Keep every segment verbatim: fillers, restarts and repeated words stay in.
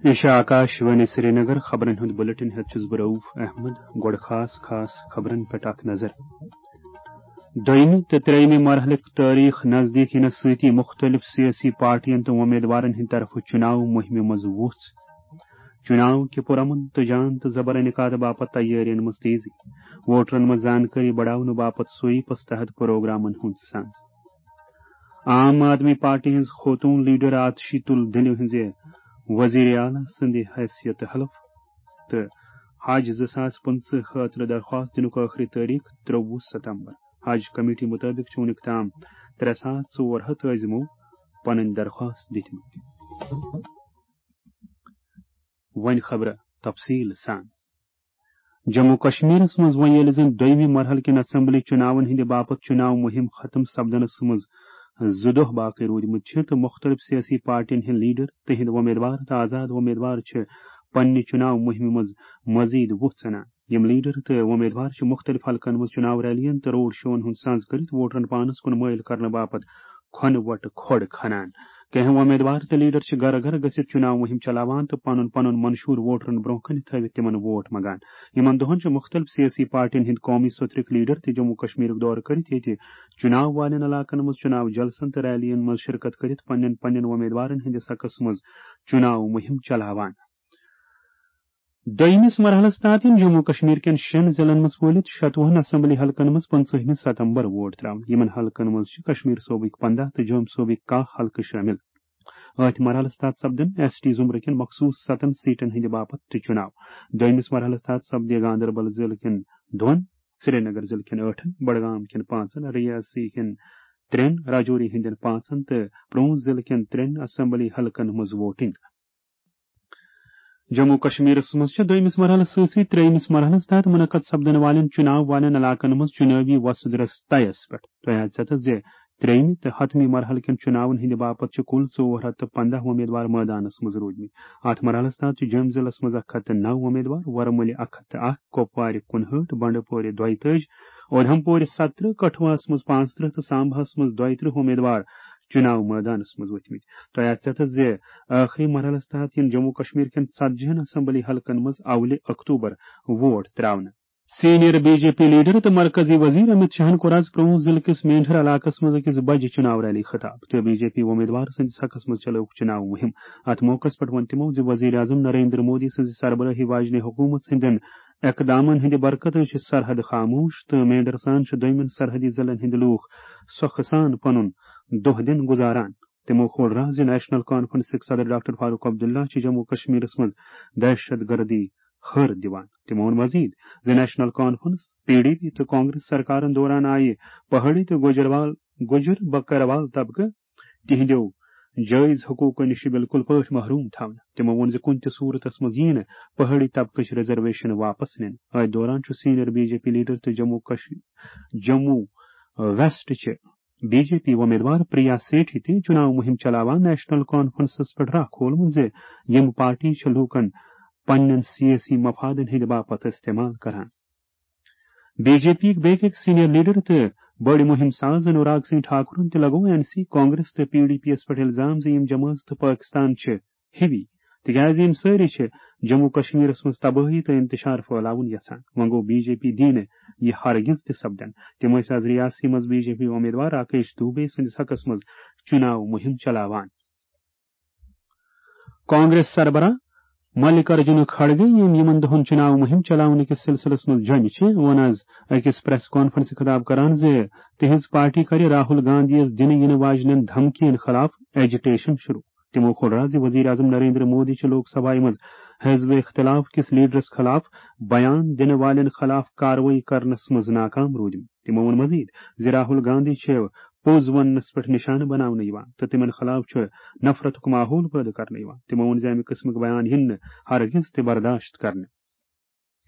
یہِ چھِ آکاش وانی سرینگر۔ خبرن ہُنٛد بلیٹن ہٮ۪تھ چھُس بہٕ رؤف احمد۔ گۄڈٕ خاص خاص خبرن پٮ۪ٹھ اکھ نظر۔ دوٚیمہِ تہٕ ترٛیٚیمہِ مرحلٕکۍ تٲریخ نزدیٖک یِنس سۭتی مُختٔلِف سیٲسی پارٹین تہٕ وۄمیدوارن ہٕنٛدِ طرفہٕ چُناو مُہِمہِ منٛز وُژھ۔ چُناو کہِ پُرامن تہٕ جان تہٕ زبر انعقاد باپتھ تیٲرین منٛز تیزی۔ ووٹرن منٛز زانکٲری بڑاونہٕ باپتھ سویپس تحت پروگرامن ہُنٛد سنز۔ عام آدمی پارٹی ہٕنٛز خوتوٗن لیڈر آتشی تُل دِلہِ ہٕنٛزِ وزیر اعلیٰ سٕنٛدِ حیثیت حلف تہٕ حج زٕ ساس پٕنٛژٕہ خٲطرٕ درخواست دِنُک ٲخری تٲریخ ترٛوُہ ستمبر۔ حج کمیٹی مُطٲبِق چھِ وُنیُک تام ترٛےٚ ساس ژور ہتھ عٲزمو پنٕنۍ درخواست دِتمٕتۍ۔ وۄنۍ خبرٕ تفصیٖل سان۔ جموں کشمیرس منٛز وۄنۍ ییٚلہِ زن دوٚیمہِ مرحلہٕ کٮ۪ن اسمبلی چُناون ہٕنٛدِ باپتھ چُناو مُہِم ختم سپدنس منٛز زٕ دۄہ باقٕے روٗدمٕتۍ چھِ تہٕ مُختٔلِف سیٲسی پارٹین ہٕنٛدۍ لیڈر تہنٛدۍ وۄمیدوار تہٕ آزاد وۄمیدوار چھِ پننہِ چُناو مُہِمہِ منٛز مزید وُژھ ژھٕنان۔ یِم لیڈر تہٕ وۄمیدوار چھِ مُختٔلِف حلقن منٛز چُناو ریلین تہٕ روڈ شوون ہُنٛد سنز کٔرِتھ ووٹرن پانس کُن مٲیِل کرنہٕ باپتھ کھۄنہٕ وۄٹہٕ کھۄڑ کھنان۔ کینٛہہ وۄمیدوار تہٕ لیڈر چھِ گرٕ گرٕ گٔژھِتھ چُناو مُہِم چلاوان تہٕ پنُن پنُن منشور ووٹرن برونٛہہ کنہِ تھٲوِتھ تِمن ووٹ منگان۔ یِمن دۄہن چھِ مُختٔلِف سیٲسی پارٹین ہٕنٛدۍ قومی سوٚتھرٕکۍ لیڈر تہِ جموں کشمیرُک دورٕ کٔرِتھ ییٚتہِ چُناو والٮ۪ن علاقن منٛز چُناو جلسن تہٕ ریلین منٛز شرکت کٔرِتھ پننٮ۪ن پننٮ۪ن وۄمیدوارن ہٕنٛدِس حقس منٛز چُناو مُہِم چلاوان۔ دوٚیمِس مرحلَس تحت یِن جموں کشمیر کٮ۪ن شٮ۪ن ضلعن منٛز وٲلِتھ شَتوُہَن اسمبلی حلقن منٛز پٕنٛژٕہمہِ ستمبر ووٹ ترٛاونہٕ۔ یِمَن حلقن منٛز چھِ کشمیر صوبٕکۍ پنٛداہ تہٕ جوٚم صوبٕکۍ کاہ حلقہٕ شٲمِل۔ أتھۍ مرحلَس تحت سپدن ایس ٹی زمرٕ کٮ۪ن مخصوٗص ستن سیٹن ہٕنٛدِ باپتھ تہِ چُناو۔ دوٚیمِس مرحلَس تحت سپدِ گاندربل ضلعہٕ کٮ۪ن دۄن، سرینگر ضلعہٕ کٮ۪ن ٲٹھن، بڈگام کٮ۪ن پانٛژن، ریاسی کٮ۪ن ترٛٮ۪ن، راجوری ہٕنٛدٮ۪ن پانٛژن تہٕ پرونٛژھ ضلعہٕ کٮ۪ن ترٛٮ۪ن اسمبلی حلقن منٛز ووٹنگ۔ جموں کشمیرس منٛز چھِ دوٚیمِس مرحلس سۭتۍ سۭتۍ ترٛیٚیمِس مرحلس تحت منعقد سپدن والٮ۪ن چُناو والٮ۪ن علاقن منٛز چُنٲوی وۄسُد رس طیس پٮ۪ٹھ۔ تۄہہِ آسہِ ژےٚ زِ ترٛیٚیمہِ تہٕ ہتمہِ مرحلہٕ کٮ۪ن چُناون ہٕنٛدِ باپتھ چھِ کُل ژور ہتھ تہٕ پنٛداہ وۄمیدوار مٲدانس منٛز روٗدمٕتۍ۔ اتھ مرحلس تحت چھِ جوٚم ضلعس منٛز اکھ ہتھ تہٕ نو وۄمیدوار، ورمُلہِ اکھ ہتھ تہٕ اکھ، کۄپوارِ کُنہٲٹھ، بنڈٕ پورِ دۄیتٲجۍ، اودھمپورِ ستترٕہ، کٹھوعس منٛز پانٛژترٕہ تہٕ سامباہس منٛز دۄیترٕہ وۄمیدوار چُناو مٲدانس منٛز ؤتھمٕتۍ۔ تۄہہِ آسہِ ژےٚ زِ ٲخری مرحلس تحت یِن جموں کشمیر کٮ۪ن ژتجی ہن اسمبلی حلقن منٛز اولہِ اکتوبر ووٹ ترٛاونہٕ۔ Senior B J P leader تہٕ مرکزی وزیر امت شاہن کوٚر آز پرونٛژھ ضلعہٕ کِس مینڈھر علاقس منٛز أکِس بجہِ چُناو ریلی خطاب تہٕ بی جے پی وۄمیدوار سٕنٛدِس حقس منٛز چلٲوٕکھ چُناو مُہِم۔ اتھ موقعس پٮ۪ٹھ ووٚن تِمو زِ وزیر اعظم نریندر مودی سٕنٛزِ سربرٲہی واجنہِ حکوٗمت ہٕنٛدٮ۪ن اقدامن ہٕنٛدِ برکتہٕ چھِ سرحد خاموش تہٕ مینڈھر سان چھِ دوٚیمٮ۪ن سرحدی ضلعن ہٕنٛدۍ لوٗکھ سۄکھٕ سان پنُن دۄہ دِن گُزاران۔ تِمو کھول راز زِ نیشنل کانفرنسٕکۍ صدر ڈاکٹر فاروق عبداللہ چھِ جموں کشمیرس منٛز دہشت گردی ہر دِوان۔ تِمو ووٚن مزید زِ national conference, P D P تہٕ کانگریس سرکارن دوران آیہِ پہاڑی تہٕ گوجروال، گوجر بکروال طبقہٕ تِہنٛدیو جٲیز حقوقو نِش بالکل پٲٹھۍ محروم تھاونہٕ۔ تِمو ووٚن زِ کُنہِ تہِ صورتس منٛز یِیہِ نہٕ پہاڑی طبقٕچ ریزرویشن واپس نِنہٕ۔ أتھۍ دوران چھُ senior B J P leader تہٕ جموں کش-، جموں ویسٹ چہِ بی جے پی وۄمیدوار پریا سیٹھی تہِ چُناو مُہِم چلاوان نیشنل کانفرنسس پٮ۪ٹھ راہ کھولمُت زِ یِم پارٹی چھِ لوٗکن پننٮ۪ن سیٲسی مفادن ہٕنٛدِ باپتھ استعمال کران۔ بی جے پی یِکۍ بیٚکۍ أکۍ سینئر لیڈر تہٕ بٔڑۍ مُہِم ساز انوراگ سنگھ ٹھاکرن تہِ لگوو این سی، کانگریس تہٕ پی ڈی پی یَس پٮ۪ٹھ الزام زِ یِم جمٲژ تہٕ پٲکستان چھِ ہِوی، تِکیازِ یِم سٲری چھِ جموں کشمیرس منٛز تبٲہی تہٕ انتشار پھٲلاوُن یژھان۔ وۄنۍ گوٚو، بی جے پی دی نہٕ یہِ ہرگز تہِ سپدن۔ تِم ٲسۍ آز ریاستی منٛز بی جے پی امیدوار راکیش دوبے سٕنٛدِس حقس منٛز چُناو مُہِم چلاوان۔ کانگریس سربراہ ملکارجن کھڑگے، یِم یِمن دۄہن چُناو مُہِم چلاونہٕ کِس سلسلس منٛز جوٚمہِ چھِ، ووٚن آز أکِس پریس کانفرنسہِ خطاب کران زِ تِہنٛز پارٹی کرِ راہل گاندھی یَس دِنہٕ یِنہٕ واجنٮ۪ن دھمکین خلاف ایجیٹیشن شروع۔ تِمو کھول راز زِ وزیر اعظم نریندر مودی چھِ لوک سبھایہ منٛز حزب اختلاف کِس لیڈرس خلاف بیان دِنہٕ والٮ۪ن خلاف کاروٲیی کرنس منٛز ناکام روٗدمٕتۍ۔ تِمو ووٚن مزید زِ راہل گاندھی چھِ پوٚز وننس پٮ۪ٹھ نشانہٕ بناونہٕ یِوان تہٕ تِمن خلاف چھُ نفرتُک ماحول پٲدٕ کرنہٕ یِوان۔ تِمو ووٚن زِ امہِ قٕسمٕک بیان یِن نہٕ ہرگز تہِ برداشت کرنہٕ۔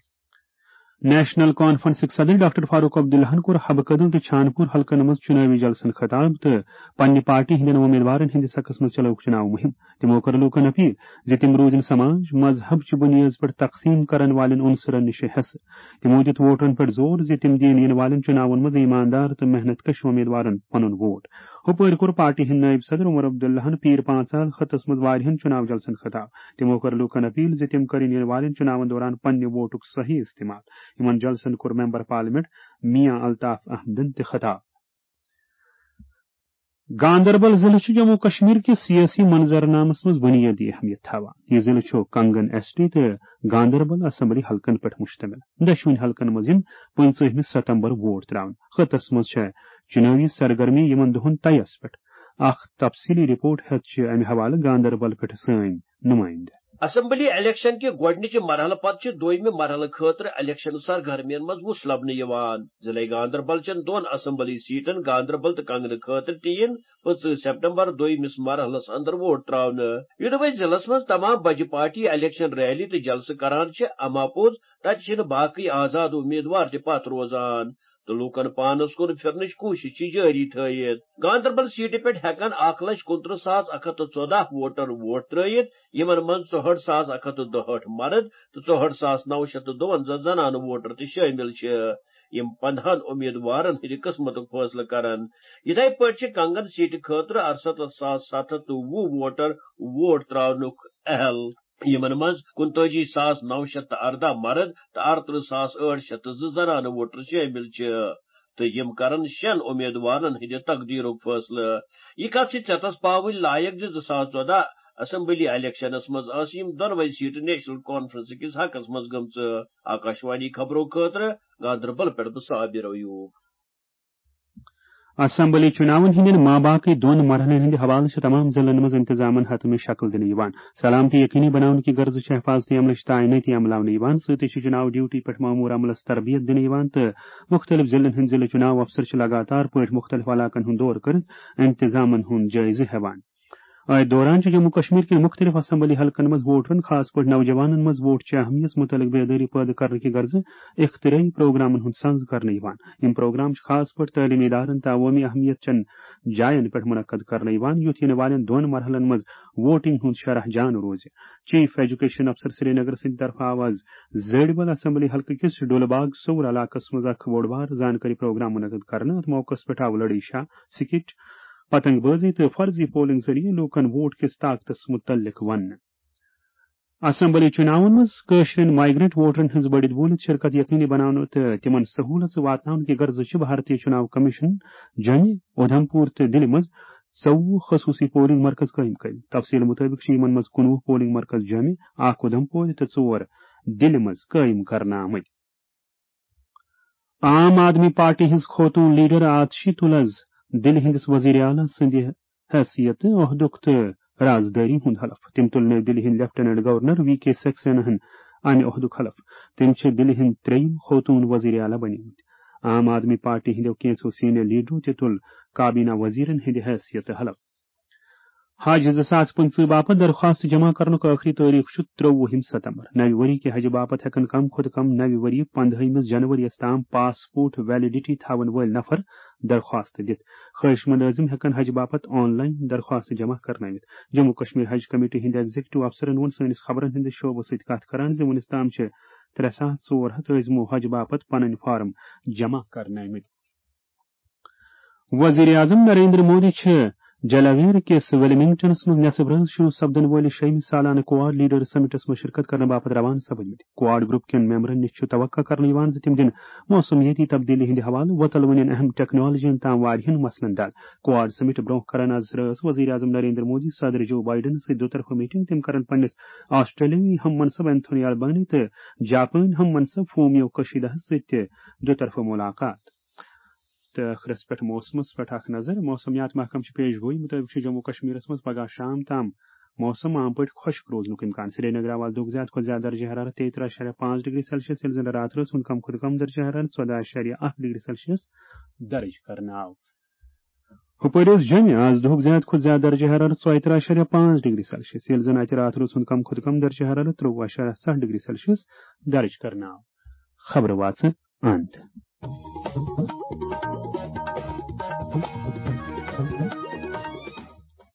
نیشنل کانفرنسٕکۍ صدر ڈاکٹر فاروق عبداللہَن کوٚر حبہٕ کدل تہٕ چھانپور حلقن منٛز چُناوی جلسن خطاب تہٕ پننہِ پارٹی ہٕنٛدٮ۪ن وۄمیدوارن ہٕنٛدِس حقس منٛز چلٲوٕکھ چُناو مُہِم۔ تِمو کٔر لوٗکن اپیل زِ تِم روٗزِن سماج، مذہب چہِ بُنیٲدِ پٮ۪ٹھ تقسیٖم کرن والٮ۪ن عنصرن نِش حصہٕ۔ تِمو دِیُت ووٹرن پٮ۪ٹھ زور زِ تِم دِیِن یِنہٕ والٮ۪ن چُناون منٛز ایماندار تہٕ محنت کش وۄمیدوارن پنُن ووٹ۔ ہُپٲرۍ کوٚر پارٹی ہٕنٛدۍ نٲیِب صدر عمر عبداللہَن پیٖر پانٛژال خطس منٛز واریاہن چُناو جلسن خطاب۔ تِمو کٔر لوٗکن اپیل زِ تِم کرن یِنہٕ والٮ۪ن چُناون دوران پننہِ ووٹُک صحیح استعمال۔ یِمن جلسن کوٚر ممبر پارلیمنٹ میاں الطاف احمدن تہِ خطاب۔ گاندربل ضلع چھُ جموں کشمیر کِس سیٲسی منظرنامس منٛز بُنیٲدی اہمیت تھاوان۔ یہِ ضلع چھُ کنگن ایس ٹی تہٕ گاندربل اسمبلی حلقن پٮ۪ٹھ مشتمل۔ دۄشوٕنی حلقن منٛز یِن پٕنٛژٕہمہِ ستمبر ووٹ تراونہٕ۔ خطس منٛز چھےٚ چُنٲوی سرگرمی یِمن دۄہن طیس پٮ۪ٹھ۔ اکھ تفصیلی رپورٹ ہیتھ چھِ امہِ حوالہٕ گاندربل پٮ۪ٹھ سٲنۍ نُمٲیندٕ۔ اسمبلی الیکشن کہِ گۄڈٕنِچہِ مرحلہٕ پتہٕ چھِ دوٚیمہِ مرحلہٕ خٲطرٕ الیکشن سرگرمین منٛز وُژھ لبنہٕ یِوان۔ ضلع گاندربل چٮ۪ن دۄن اسمبلی سیٹن گاندربل تہٕ کنگنہٕ خٲطرٕ تہِ یِن پٕنٛژٕہ سپتمبر دوٚیمِس مرحلس اندر ووٹ تراونہٕ۔ یوٚدوَے ضلعس منٛز تمام بجہِ پارٹی الیکشن ریلی تہٕ جلسہٕ کران چھِ، اما پوٚز تتہِ چھِنہٕ باقٕے آزاد امیدوار تہِ پتھ روزان تہٕ لوٗکن پانس کُن پھِرنٕچ کوٗشش چھِ جٲری تھٲیِتھ۔ گاندربل سیٹہِ پٮ۪ٹھ ہٮ۪کن اکھ لچھ کُنترٕہ ساس اکھ ہتھ تہٕ ژۄداہ ووٹر ووٹ ترٲوِتھ، یِمن منٛز ژُہٲٹھ ساس اکھ ہتھ تہٕ دُہٲٹھ مرد تہٕ ژُہٲٹھ ساس نو شیٚتھ تہٕ دُوَنزاہ زنانہٕ ووٹر تہِ شٲمِل چھِ، یِم پندہن امیدوارن ہٕنٛدِ قٕسمتُک فٲصلہٕ کرن۔ یِتھے پٲٹھۍ چھِ کنگن سیٹہِ خٲطرٕ اَرسَتتھ ساس ستھ ہتھ تہٕ وُہ ووٹر ووٹ تراونُک اہل، یِمن منٛز کُنتٲجی ساس نو شیٚتھ تہٕ اَرداہ مرد تہٕ اَرترٕہ ساس ٲٹھ شیٚتھ تہٕ زٕ زنانہٕ ووٹر شٲمِل چھِ، تہٕ یِم کرن شٮ۪ن امیدوارن ہٕنٛدِ تقدیرُک فٲصلہٕ۔ یہِ کتھ چھِ ژیتس پاوٕنۍ لایق زِ زٕ ساس ژۄداہ اسمبلی الیکشنس منٛز ٲسہٕ یِم دۄنوے سیٹہٕ نیشنل کانفرنس کِس حقس منٛز گٔمژٕ۔ آکاشوانی خبرو خٲطرٕ گاندربل پٮ۪ٹھ بہٕ صابر ایوب۔ اسمبلی چُناون ہٕنٛدٮ۪ن ماباقٕے دۄن مرحلن ہٕنٛدِ حوالہٕ چھِ تمام ضلعن منٛز انتظامن حتمی شکل دِنہٕ یِوان۔ سلامتی یقینی بناونہٕ کہِ غرضہٕ چھِ حفاظتی عملٕچ تعینٲتی عملاونہٕ یِوان۔ سۭتی چھِ چُناو ڈیوٹی پٮ۪ٹھ مامور عملس تربیت دِنہٕ یِوان تہٕ مُختٔلِف ضلعن ہٕنٛدۍ ضلعہٕ چُناو افسر چھِ لگاتار پٲٹھۍ مُختٔلِف علاقن ہُنٛد دورٕ کٔرِتھ انتظامن ہُنٛد جٲیزٕ ہٮ۪وان۔ أتھۍ دوران چھُ جموں کشمیر کٮ۪ن مُختٔلِف اسمبلی حلقن منٛز ووٹرن، خاص پٲٹھۍ نوجوانن منٛز ووٹ چہِ اہمیت مُتعلق بیدٲری پٲدٕ کرنہٕ کہِ غرضہٕ اختراعی پروگرامن ہُنٛد سنز کرنہٕ یِوان۔ یِم پروگرام چھِ خاص پٲٹھۍ تعلیمی ادارن تہٕ عوٲمی اہمیت چٮ۪ن جاین پٮ۪ٹھ منعقد کرنہٕ یِوان، یُتھ یِنہٕ والٮ۪ن دۄن مرحلن منٛز ووٹنگ ہُنٛد شرح جان روزِ۔ چیف ایجوکیشن افسر سرینگر سٕنٛدِ طرفہٕ آو از زٲڑبل اسمبلی حلقہٕ کِس ڈولہٕ باغ سور علاقس منٛز اکھ بوٚڑ بار زانکٲری پروگرام منعقد کرنہٕ۔ اتھ موقعس پٮ۪ٹھ آو لڑی شاہ سکٹ، پتنگ بازی تہٕ فرضی پولنگ ذٔریعہٕ لوٗکن ووٹ کِس طاقتس مُتعلق وننہٕ۔ اسمبلی چُناون منٛز کٲشرٮ۪ن مائیگرنٹ ووٹرن ہٕنٛز بٔڑِتھ بوٗلِتھ شرکت یقینی بناونہٕ تہٕ تِمن سہوٗلژٕ واتناونہٕ کہِ غرضہٕ چھِ بھارتی چُناو کمیشن جوٚمہِ، اُدھمپور تہٕ دِلہِ منٛز ژوٚوُہ خصوٗصی پولنگ مرکز قٲیِم کٔرمٕتۍ۔ تفصیل مُطٲبِق چھِ یِمن منٛز کُنوُہ پولنگ مرکز جوٚمہِ، اکھ اُدھمپور تہٕ ژور دِلہِ منٛز قٲیِم کرنہٕ آمٕتۍ۔ عام آدمی پارٹی ہٕنٛز خوتوٗن لیڈر آتشی تُل از دِلہِ ہٕنٛدِس وزیر اعلیٰ سٕنٛدِ حیثیت عہدُک تہٕ رازدٲری ہُنٛد حلف۔ تٔمۍ تُل نٔو دِلہِ ہٕنٛدۍ لیفٹیننٹ گورنر وی کے سکسیناہن امہِ عہدُک حلف۔ تٔمۍ چھِ دِلہِ ہٕنٛدۍ ترٛیٚیِم خوتوٗن وزیر اعلیٰ بنیمٕتۍ۔ عام آدمی پارٹی ہٕنٛدیو کینٛژھو سینئر لیڈرو تہِ تُل کابینہ وزیرن ہٕنٛدِ حیثیت حلف۔ حج زٕ ساس پٕنٛژٕہ باپتھ درخواست جمع کرنُک ٲخری تٲریخ چھُ ترٛۆوُہِم ستمبر۔ نوِ ؤری کہِ حجہِ باپتھ ہٮ۪کن کم کھۄتہٕ کم نوِ ؤری پندہٲیمِس جنوری یَس تام پاسپورٹ ویلڈیٹی تھاون وٲلۍ نفر درخواست دِتھ۔ خٲہِش مند عٲزم ہٮ۪کن حج باپتھ آن لاین درخواست جمع کرنٲوِتھ۔ جموں کشمیر حج کمیٹی ہٕنٛدِ ایگزیکٹو افسرن ووٚن سٲنِس خبرن ہٕنٛدِس شعبس سۭتۍ کتھ کران زِ وُنِس تام چھِ ترٛےٚ ساس ژور ہتھ عٲزمو حج باپتھ پنٕنۍ فارم جمع کرنٲومٕتۍ۔ وزیر اعظم نریندر مودی چھِ جلاویر کِس ویلمنگٹنس منٛز نصب رٲژ شروع سپدن وٲلِس شیٚیِمہِ سالانہٕ کواڈ لیڈر سمٹس منٛز شرکت کرنہٕ باپتھ روانہٕ سپدمٕتۍ۔ کواڈ گروپ کٮ۪ن ممبرن نِش چھُ توقع کرنہٕ یِوان زِ تِم دِن موسمیٲتی تبدیلی ہٕنٛدِ حوالہٕ وۄتلوٕنٮ۪ن اہم ٹیکنالوجین تام واریاہن مسلن دل۔ کواڈ سمٹ برونٛہہ کرن از رٲژ وزیر اعظم نریندر مودی صدر جو بائیڈنس سۭتۍ دُطرفہٕ میٹنگ۔ تِم کرن پننِس آسٹریلیائی ہم منصب اینتھونی البانی تہٕ جاپٲنۍ ہم منصب فومیو کشیدہس سۭتۍ تہِ دُطرفہٕ ملاقات۔ تہٕ ٲخرس پٮ۪ٹھ موسمس پٮ۪ٹھ اکھ نظر۔ موسمیات محکمہٕ چھِ پیش گویی مُطٲبِق چھُ جموں کشمیرس منٛز پگاہ شام تام موسم عام پٲٹھۍ خۄشک روزنُک امکان۔ سرینگر آو آز دۄہُک زیادٕ کھۄتہٕ زیادٕ درجہ حرارت تیٚیہِ ترٛہ اَشاریہ پانٛژھ ڈگری سیلسیس، ییٚلہِ زن راتھ رٲژ ہُنٛد کم کھۄتہٕ کم درجہ حرارت ژۄداہ اَشاریہ اکھ ڈگری سیلسیس درج کرنہٕ آو۔ ہُپٲرۍ اوس جوٚمہِ آز دۄہُک زیادٕ کھۄتہٕ زیادٕ درجہ حرارت ژۄیہِ ترٛہ اَشاریہ پانٛژھ ڈگری سیلسیس، ییٚلہِ زن اتہِ راتھ رٲژ ہُنٛد کم کھۄتہٕ کم درجہ حرارت ترٛۆوُہ اَشاریہ ستھ ڈگری سیلسیس درج کرنہٕ آو۔ خبرٕ واژٕ اند۔